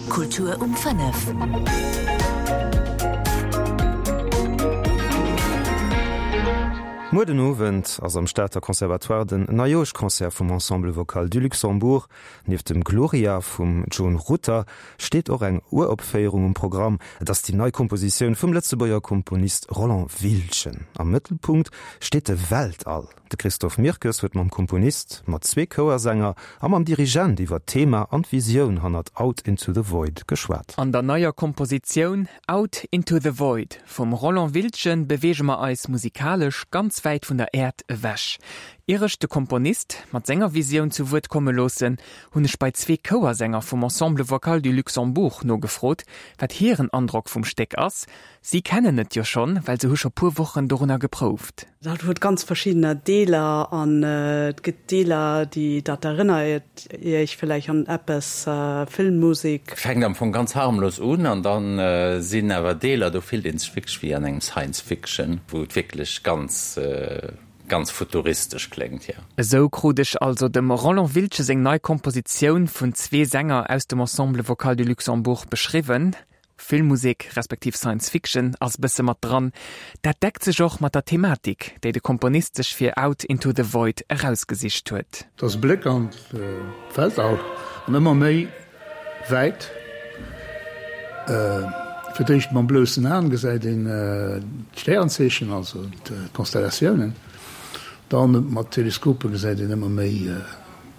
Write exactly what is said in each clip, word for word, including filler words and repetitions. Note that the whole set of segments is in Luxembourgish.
Kultur um fënnef. Muer den Owend ass am Stater Conservatoire den Neijoerschconcert vum Ensemble Vocal du Luxembourg. Nieft dem Gloria vum Joan Rutter steet och eng Uropféierung um Programm. Et ass déi nei Kompositioun vum Lëtzebuerger Komponist Roland Wiltgen. Am Mëttelpunkt steet de Weltall. De Christophe Mirkes huet mam Komponist, mat zwee Chouersänger a mam Dirigent iwwer d'Thema an d'Visioun hannert Out into the Void geschwat. An der neier Kompositioun Out into the Void vum Roland Wiltgen beweege mer eis musikalesch ganz wäit vun der Äerd ewech. Ier ech de Komponist mat senger Visioun zu Wuert komme loossen, hunn ech bei zwee Chouersänger vum Ensemble Vocal du Luxembourg nogefrot, wat hiren Androck vum Stéck ass. Si kennen et jo schonn, well se hu scho puer Wochen dorunner geprouft. Dat huet ganz verschiddener Deeler an et gëtt Deeler, déi dat erënnert Iech villäicht an eppes Filmmusek. Fänkt am Fong ganz harmlos un an dann sinn awer Deeler, do fillt een sech wierklech wéi an engem Science Fiction, wou et wierklech ganz ganz futuristesch kléngt, jo. Esou krut ech also dem Roland Wiltgen seng nei Kompositioun vun zwee Sänger aus dem Ensemble Vocal du Luxembourg beschriwwen. Filmmusek respektiv Science Fiction ass bësse mat dran. Dat deckt sech och mat der Thematik, déi de Komponist sech fir Out into the Void erausgesicht huet. Et ass e Bléck an d'Weltall an ëmmer méi wäit. Fir d'éischt mam bloussen Aen gesäit een d'Stärenzeechen, also d'Konstellatiounen. Dann mat Teleskope gesäit een ëmmer méi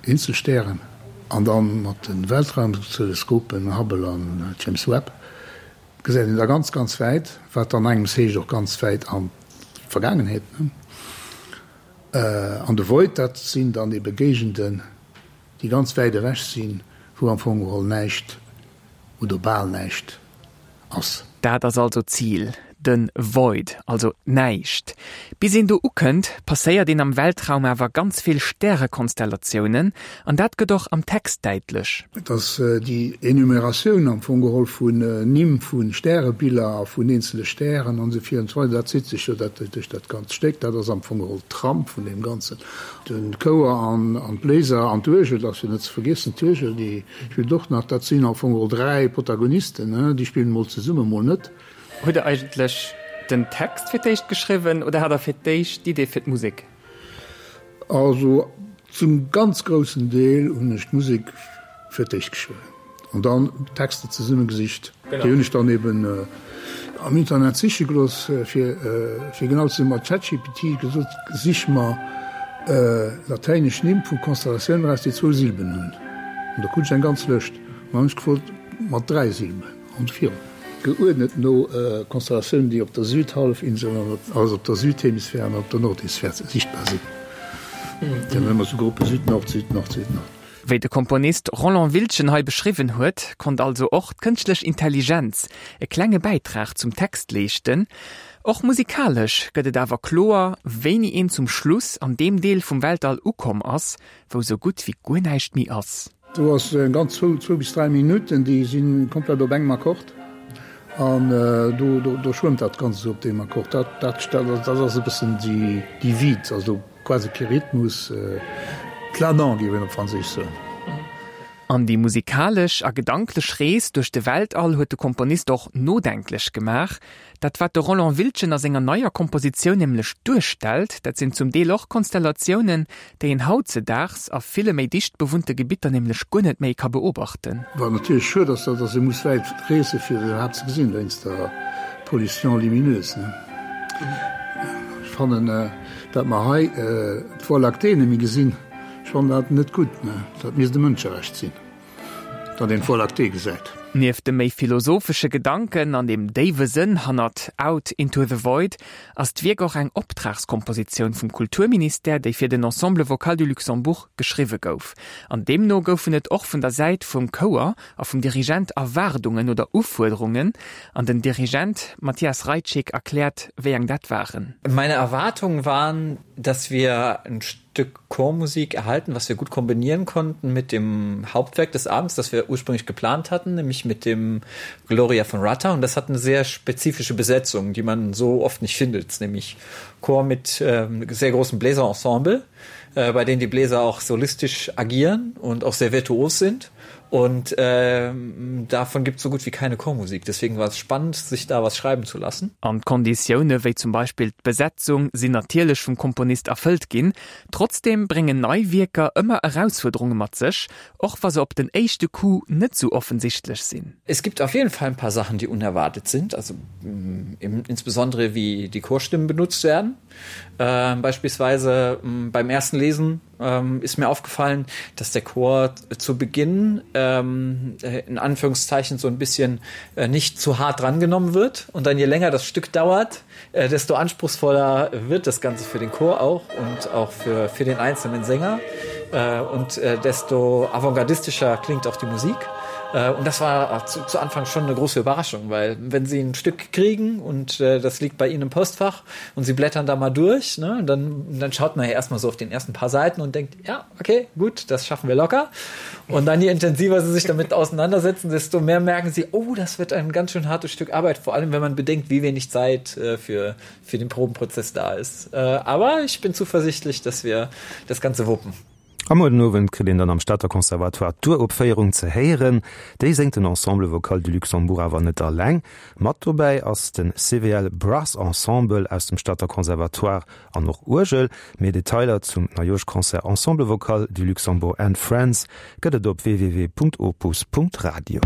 eenzel Stären. An dann mat de Weltraumteleskopen Hubble an James Webb gesäit een da ganz, ganz wäit, wat dann engems heescht och ganz wäit an d'Vergaangenheet. An de Void, dat sinn dann ebe Géigenden, déi ganz wäit ewech sinn, wou am Fong geholl näischt oder bal näischt ass. Dat ass also d'Zil, de Void, also d'Näischt. Bis een do ukënnt, passéiert een am Weltraum awer ganz vill Stärekonstellatiounen, an dat gëtt och am Text däitlech. Et ass déi Enumeratioun am Fong geholl vun Nimm vu Stärebiller a vun eenzele Stären an esou vir an esou weider, dat zitt sech jo dat duerch dat ganzt Stéck. Dat ass am Fong geholl d'Trame vun deem Ganzen. De Chouer an d'Bléiser an d'Uergel, dat ass jo net ze vergiessen, d'Uergel déi spillt och nach. Dat sinn am Fong geholl dräi Protagonisten, déi spillen mol zesummen, mol net. Hutt Der eigentlech den Text fir d'éischt geschriwwen oder hat Der fir d'éischt d'Idee fir d'Musek? Also zum ganz groussen Deel hunn ech d'Musek fir d'éischt geschriwwen an dann d'Texter zesummegesicht. Déi hunn ech dann eben am Internet siche gelooss, fir fir genau ze sinn mat ChatGPT gesot, sich mer latäinesch Nimm vu Konstellatiounen eraus, déi zwou Silben hunn. An da krut ech eng ganz Lëscht. An dann hunn ech gefrot mat dräi Silben an virun. Geuerdnet no Konstellatiounen, déi op der Südhallefinsel, also op der Südhemisphär an op der Nordhemisphär sichtbar sinn. Déi hunn ëmmer sou Gruppe Süd, Nord, Süd, Nord, Süd, Nord. Wéi de Komponist Roland Wiltgen hei beschriwwen huet, konnt also och d'kënschtlech Intelligenz e klenge Bäitrag zum Text leeschten. Och musikalesch gëtt et awer kloer, wéini een zum Schluss an deem Deel vum Weltall ukomm ass, wou sou gutt wéi guer näischt méi ass. Do ass eng ganz zwou, zwou bis dräi Minutten, déi si komplett op engem Akkord an do, do, do schwëmmt dat Ganzt esou op deem Akkord. Dat, dat, dat ass e bëssen déi, déi Vide, also quasi kee Rhythmus, planant géif een op Franséisch soen. An déi musikalesch a gedanklech Rees duerch de Weltall huet de Komponist och nodenklech gemaach. Dat wat de Roland Wiltgen a senger neier Kompositioun nämlech duerstellt, dat sinn zum Deel och Konstellatiounen, déi een hautzedaags a ville méi dicht bewunnte Gebitter nämlech guer net méi ka beobachten. Wat natierlech schued ass, dat ass, ee muss wäit reese fir se iwwerhaapt ze gesinn, wéinst der Pollution lumineuse. Ech fannen, dat mer hei d'Voie lactée net méi gesinn, ech fannen dat net gutt. Dat misst e Mënscherecht sinn, datt een d'Voie lactée gesäit. Nieft de méi philosophesche Gedanken an dem déiwe Sënn hannert Out into the Void ass d'Wierk och eng Optragskompositioun vum Kulturministère, déi fir den Ensemble Vocal du Luxembourg geschriwwe gouf. An deemno goufen et och vun der Säit vum Chouer a vum Dirigent Erwaardungen oder Ufuerderungen. An den Dirigent Matthias Rajczyk erkläert, wéi eng dat waren. Meine Erwartungen waren, dass wir ein Stück Chormusik erhalten, was wir gut kombinieren konnten mit dem Hauptwerk des Abends, das wir ursprünglich geplant hatten, nämlich mit dem Gloria von Rutter. Und das hat eine sehr spezifische Besetzung, die man so oft nicht findet, nämlich Chor mit ähm, sehr großem Bläserensemble, äh, bei denen die Bläser auch solistisch agieren und auch sehr virtuos sind. Und ähm, davon gibt es so gut wie keine Chormusik. Deswegen war es spannend, sich da was schreiben zu lassen. An d'Konditioune wéi zum Beispill d'Besetzung sinn natierlech vum Komponist erfëllt ginn. Trotzdeem bréngen nei Wierker ëmmer Erausfuerderunge mat sech, och wa se op den éischte Coup net sou offensichtlech sinn. Es gibt auf jeden Fall ein paar Sachen, die unerwartet sind, also mm, insbesondere wie die Chorstimmen benutzt werden. Ähm, beispielsweise mm, beim ersten Lesen ähm, ist mir aufgefallen, dass der Chor zu Beginn ähm, äh, in Anführungszeichen so ein bisschen äh, nicht zu hart drangenommen wird und dann je länger das Stück dauert, äh, desto anspruchsvoller wird das Ganze für den Chor auch und auch für, für den einzelnen Sänger äh, und äh, desto avantgardistischer klingt auch die Musik. Äh, und das war zu, zu Anfang schon eine große Überraschung, weil wenn sie ein Stück kriegen und äh, das liegt bei ihnen im Postfach und sie blättern da mal durch, ne, dann, dann schaut man ja erstmal so auf den ersten paar Seiten und denkt, ja, okay, gut, das schaffen wir locker. Und dann je intensiver sie sich damit auseinandersetzen, desto mehr merken sie, oh, das wird ein ganz schön hartes Stück Arbeit, vor allem wenn man bedenkt, wie wenig Zeit äh, für, für den Probenprozess da ist. Äh, aber ich bin zuversichtlich, dass wir das Ganze wuppen. A muer den Owend kritt een dann am Stater Conservatoire d'Uropféierung ze héieren. Déi séngt den Ensemble Vocal du Luxembourg awer net alleng. Mat dobäi ass de CVL Brass Ensemble aus dem Stater Conservatoire an och Uergel. Méi Detailer zum Neijoerschconcert Ensemble Vocal du Luxembourg and Friends gëtt et op www.opus.radio.